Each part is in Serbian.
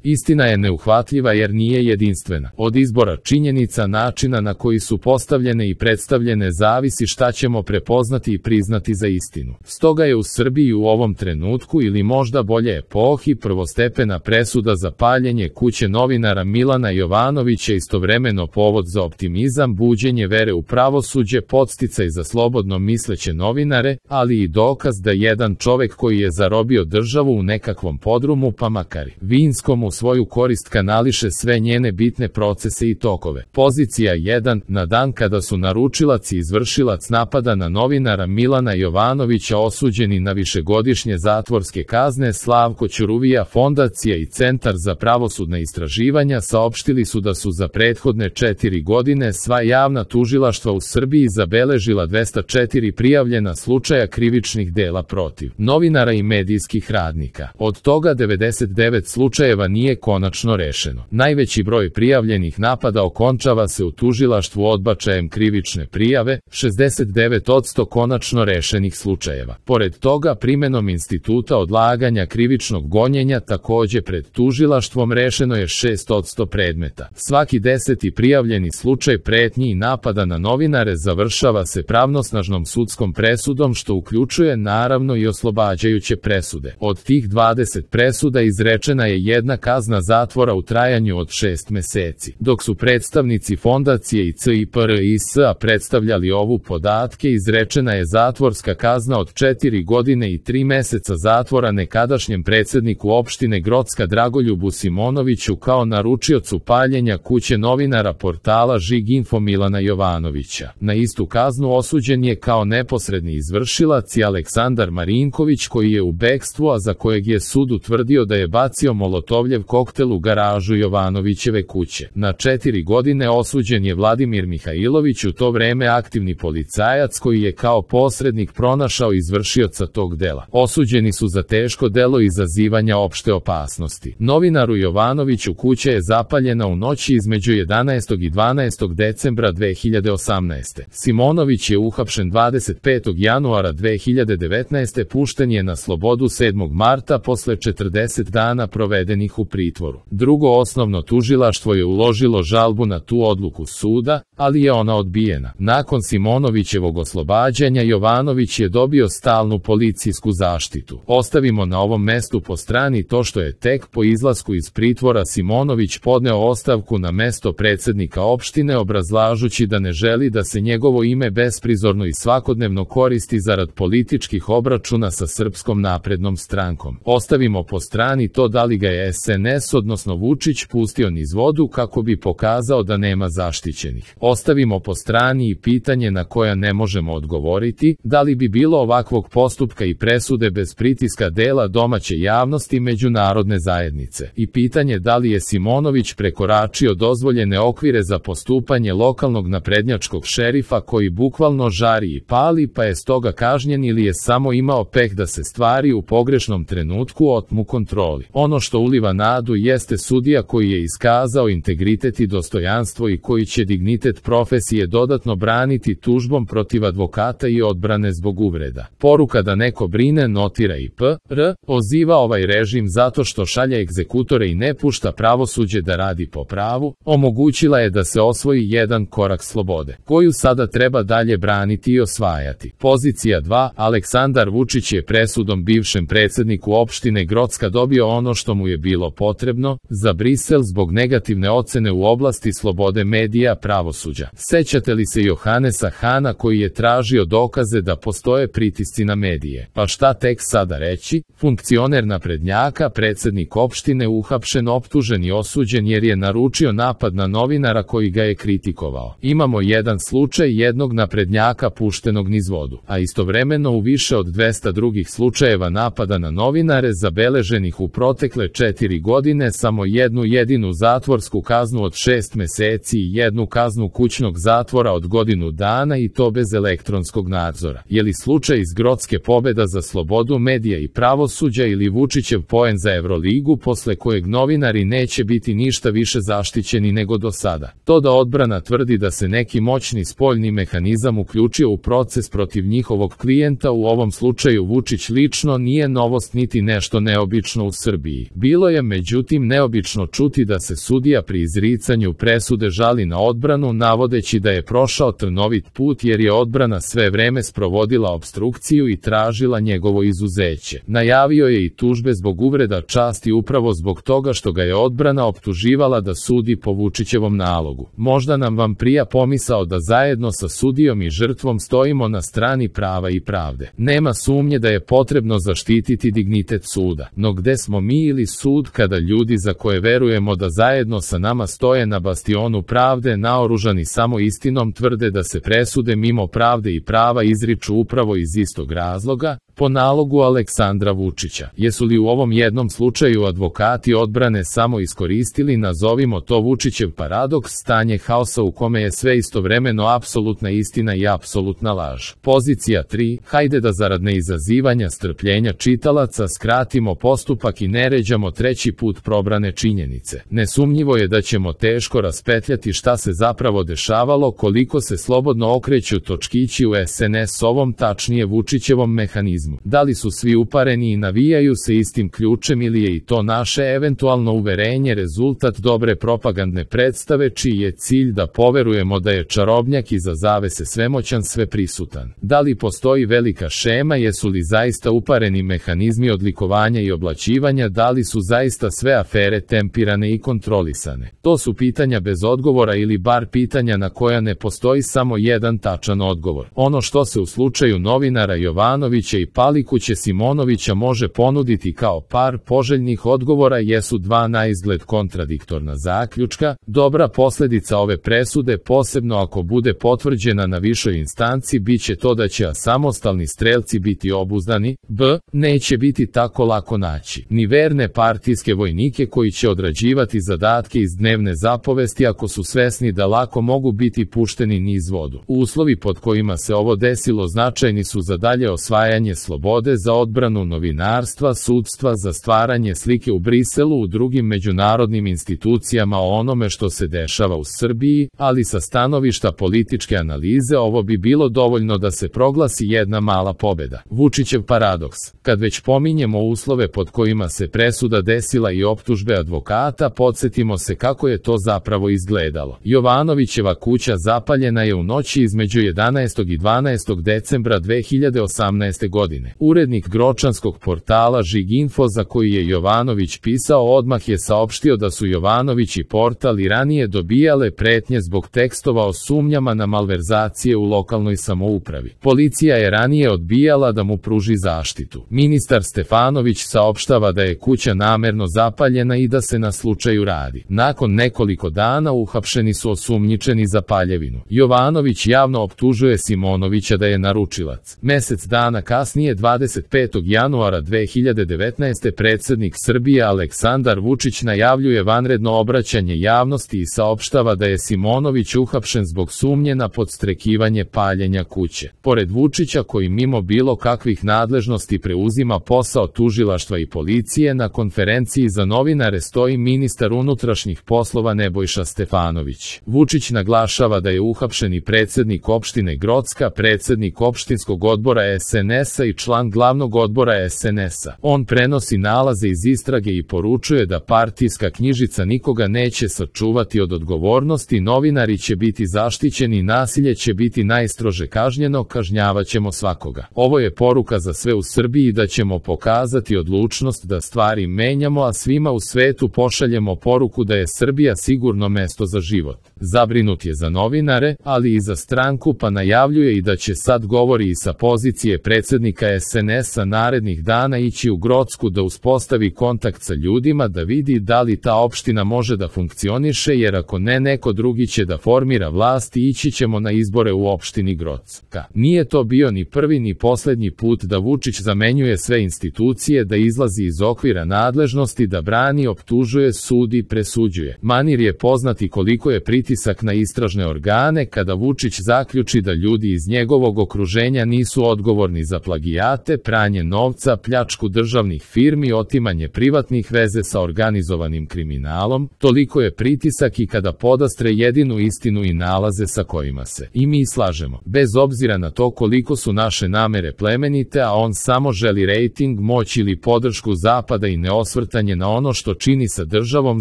Istina je neuhvatljiva jer nije jedinstvena. Od izbora činjenica, načina na koji su postavljene i predstavljene zavisi šta ćemo prepoznati i priznati za istinu. Stoga je u Srbiji u ovom trenutku ili možda bolje epohi prvostepena presuda za paljenje kuće novinara Milana Jovanovića istovremeno povod za optimizam, buđenje vere u pravosuđe, podsticaj za slobodno misleće novinare, ali i dokaz da jedan čovek koji je zarobio državu u nekakvom podrumu pa makar vinskom u svoju korist kanališe sve njene bitne procese i tokove. Pozicija 1. Na dan kada su naručilac i izvršilac napada na novinara Milana Jovanovića osuđeni na višegodišnje zatvorske kazne, Slavko Ćuruvija, Fondacija i Centar za pravosudna istraživanja saopštili su da su za prethodne 4 godine sva javna tužilaštva u Srbiji zabeležila 204 prijavljena slučaja krivičnih dela protiv novinara i medijskih radnika. Od toga 99 slučajeva nije konačno rešeno. Najveći broj prijavljenih napada okončava se u tužilaštvu odbačajem krivične prijave, 69% konačno rešenih slučajeva. Pored toga, primenom instituta odlaganja krivičnog gonjenja takođe pred tužilaštvom rešeno je 6% predmeta. Svaki 10. prijavljeni slučaj pretnji i napada na novinare završava se pravnosnažnom sudskom presudom, što uključuje naravno i oslobađajuće presude. Od tih 20 presuda izrečena je jedna kazna zatvora u trajanju od 6 meseci. Dok su predstavnici Fondacije i CIPRIS-a predstavljali ovu podatke, izrečena je zatvorska kazna od 4 godine i 3 meseca zatvora nekadašnjem predsedniku opštine Grocka Dragoljubu Simonoviću kao naručiocu paljenja kuće novinara portala Žig.info Milana Jovanovića. Na istu kaznu osuđen je kao neposredni izvršilac i Aleksandar Marinković, koji je u bekstvu, a za kojeg je sud utvrdio da je bacio molotovljev koktel u garažu Jovanovićeve kuće. Na 4 godine osuđen je Vladimir Mihajlović, u to vreme aktivni policajac koji je kao posrednik pronašao izvršioca tog dela. Osuđeni su za teško delo izazivanja opšte opasnosti. Novinaru Jovanoviću kuća je zapaljena u noći između 11. i 12. decembra 2018. Simonović je uhapšen 25. januara 2019. Pušten je na slobodu 7. marta posle 40 dana provedenih u pritvoru. Drugo osnovno tužilaštvo je uložilo žalbu na tu odluku suda, ali je ona odbijena. Nakon Simonovićevog oslobađanja Jovanović je dobio stalnu policijsku zaštitu. Ostavimo na ovom mestu po strani to što je tek po izlasku iz pritvora Simonović podneo ostavku na mesto predsednika opštine obrazlažući da ne želi da se njegovo ime besprizorno i svakodnevno koristi zarad političkih obračuna sa Srpskom naprednom strankom. Ostavimo po strani to da li ga je SNS odnosno Vučić pustio niz vodu kako bi pokazao da nema zaštićenih. Ostavimo po strani i pitanje na koja ne možemo odgovoriti, da li bi bilo ovakvog postupka i presude bez pritiska dela domaće javnosti i međunarodne zajednice. I pitanje da li je Simonović prekoračio dozvoljene okvire za postupanje lokalnog naprednjačkog šerifa koji bukvalno žari i pali pa je stoga kažnjen ili je samo imao peh da se stvari u pogrešnom trenutku otmu kontroli. Ono što uliva nadu jeste sudija koji je iskazao integritet i dostojanstvo i koji će dignitet profesije dodatno braniti tužbom protiv advokata i odbrane zbog uvreda. Poruka da neko brine notira i PR, oziva ovaj režim zato što šalje egzekutore i ne pušta pravosuđe da radi po pravu, omogućila je da se osvoji jedan korak slobode, koju sada treba dalje braniti i osvajati. Pozicija 2. Aleksandar Vučić je presudom bivšem predsedniku opštine Grocka dobio ono što mu je bilo potrebno za Brisel zbog negativne ocene u oblasti slobode medija pravosuđa. Sećate li se Johanesa Hana koji je tražio dokaze da postoje pritisci na medije? Pa šta tek sada reći? Funkcioner naprednjaka, predsednik opštine uhapšen, optužen i osuđen jer je naručio napad na novinara koji ga je kritikovao. Imamo jedan slučaj jednog naprednjaka puštenog niz vodu, a istovremeno u više od 200 drugih slučajeva napada na novinare zabeleženih u protekle 4 godine samo jednu jedinu zatvorsku kaznu od 6 meseci i jednu kaznu kućnog zatvora od godinu dana i to bez elektronskog nadzora. Je li slučaj iz Grocke pobeda za slobodu medija i pravosuđa ili Vučićev poen za Evroligu posle kojeg novinari neće biti ništa više zaštićeni nego do sada? To da odbrana tvrdi da se neki moćni spoljni mehanizam uključio u proces protiv njihovog klijenta, u ovom slučaju Vučić lično, nije novost niti nešto neobično u Srbiji. Bilo je međutim neobično čuti da se sudija pri izricanju presude žali na odbranu navodeći da je prošao trnovit put jer je odbrana sve vreme sprovodila opstrukciju i tražila njegovo izuzeće. Najavio je i tužbe zbog uvreda časti upravo zbog toga što ga je odbrana optuživala da sudi po Vučićevom nalogu. Možda nam vam prija pomisao da zajedno sa sudijom i žrtvom stojimo na strani prava i pravde. Nema sumnje da je potrebno zaštititi dignitet suda. No gde smo mi ili sud kada ljudi za koje verujemo da zajedno sa nama stoje na bastionu pravde naoružani samo istinom tvrde da se presude mimo pravde i prava izriču upravo iz istog razloga, po nalogu Aleksandra Vučića. Jesu li u ovom jednom slučaju advokati odbrane samo iskoristili, nazovimo to Vučićev paradoks, stanje haosa u kome je sve istovremeno apsolutna istina i apsolutna laž? Pozicija 3. Hajde da zarad neizazivanja strpljenja čitalaca skratimo postupak i ne ređamo treći put probrane činjenice. Nesumnjivo je da ćemo teško raspetljati šta se zapravo dešavalo, koliko se slobodno okreću točkići u SNS-ovom, tačnije Vučićevom mehanizmu. Da li su svi upareni i navijaju se istim ključem ili je i to naše eventualno uverenje rezultat dobre propagandne predstave čiji je cilj da poverujemo da je čarobnjak iza zavese svemoćan, sveprisutan? Da li postoji velika šema, jesu li zaista upareni mehanizmi odlikovanja i oblaćivanja, da li su zaista sve afere tempirane i kontrolisane? To su pitanja bez odgovora ili bar pitanja na koja ne postoji samo jedan tačan odgovor. Ono što se u slučaju novinara Jovanovića i Palikuće Simonovića može ponuditi kao par poželjnih odgovora jesu dva naizgled kontradiktorna zaključka. Dobra posljedica ove presude, posebno ako bude potvrđena na višoj instanci, biće to da će samostalni strelci biti obuzdani. B. Neće biti tako lako naći ni verne partijske vojnike koji će odrađivati zadatke iz dnevne zapovesti ako su svesni da lako mogu biti pušteni niz vodu. Uslovi pod kojima se ovo desilo značajni su za dalje osvajanje slobode, za odbranu novinarstva, sudstva, za stvaranje slike u Briselu, u drugim međunarodnim institucijama o onome što se dešava u Srbiji, ali sa stanovišta političke analize ovo bi bilo dovoljno da se proglasi jedna mala pobeda. Vučićev paradoks. Kad već pominjemo uslove pod kojima se presuda desila i optužbe advokata, podsjetimo se kako je to zapravo izgledalo. Jovanovićeva kuća zapaljena je u noći između 11. i 12. decembra 2018. godine. Urednik gročanskog portala Žiginfo, za koji je Jovanović pisao, odmah je saopštio da su Jovanović i portal i ranije dobijale pretnje zbog tekstova o sumnjama na malverzacije u lokalnoj samoupravi. Policija je ranije odbijala da mu pruži zaštitu. Ministar Stefanović saopštava da je kuća namerno zapaljena i da se na slučaju radi. Nakon nekoliko dana uhapšeni su osumnjičeni za paljevinu. Jovanović javno optužuje Simonovića da je naručilac. Mesec dana kasnije, 25. januara 2019. predsjednik Srbije Aleksandar Vučić najavljuje vanredno obraćanje javnosti i saopštava da je Simonović uhapšen zbog sumnje na podstrekivanje paljenja kuće. Pored Vučića, koji mimo bilo kakvih nadležnosti preuzima posao tužilaštva i policije, na konferenciji za novinare stoji ministar unutrašnjih poslova Nebojša Stefanović. Vučić naglašava da je uhapšeni predsjednik opštine Grocka, predsjednik opštinskog odbora SNS-a i član glavnog odbora SNS-a. On prenosi nalaze iz istrage i poručuje da partijska knjižica nikoga neće sačuvati od odgovornosti, novinari će biti zaštićeni, nasilje će biti najstrože kažnjeno, kažnjavaćemo svakoga. Ovo je poruka za sve u Srbiji da ćemo pokazati odlučnost da stvari menjamo, a svima u svetu pošaljemo poruku da je Srbija sigurno mesto za život. Zabrinut je za novinare, ali i za stranku, pa najavljuje i da će sad, govori i sa pozicije predsjednika SNS-a, narednih dana ići u Grocku da uspostavi kontakt sa ljudima, da vidi da li ta opština može da funkcioniše, jer ako ne, neko drugi će da formira vlast i ići ćemo na izbore u opštini Grocka. Nije to bio ni prvi ni poslednji put da Vučić zamenjuje sve institucije, da izlazi iz okvira nadležnosti, da brani, optužuje, sudi, presuđuje. Manir je poznati koliko je pritisak na istražne organe kada Vučić zaključi da ljudi iz njegovog okruženja nisu odgovorni za plagijat plagijate, pranje novca, pljačku državnih firmi, otimanje privatnih veze sa organizovanim kriminalom, toliko je pritisak i kada podastre jedinu istinu i nalaze sa kojima se i mi slažemo, bez obzira na to koliko su naše namere plemenite, a on samo želi rejting, moć ili podršku Zapada i neosvrtanje na ono što čini sa državom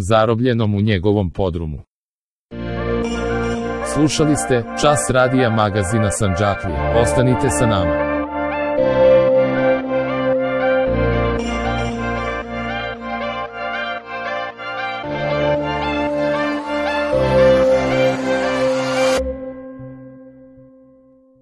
zarobljenom u njegovom podrumu. Slušali ste Čas radija magazina Sandžaklija. Ostanite sa nama.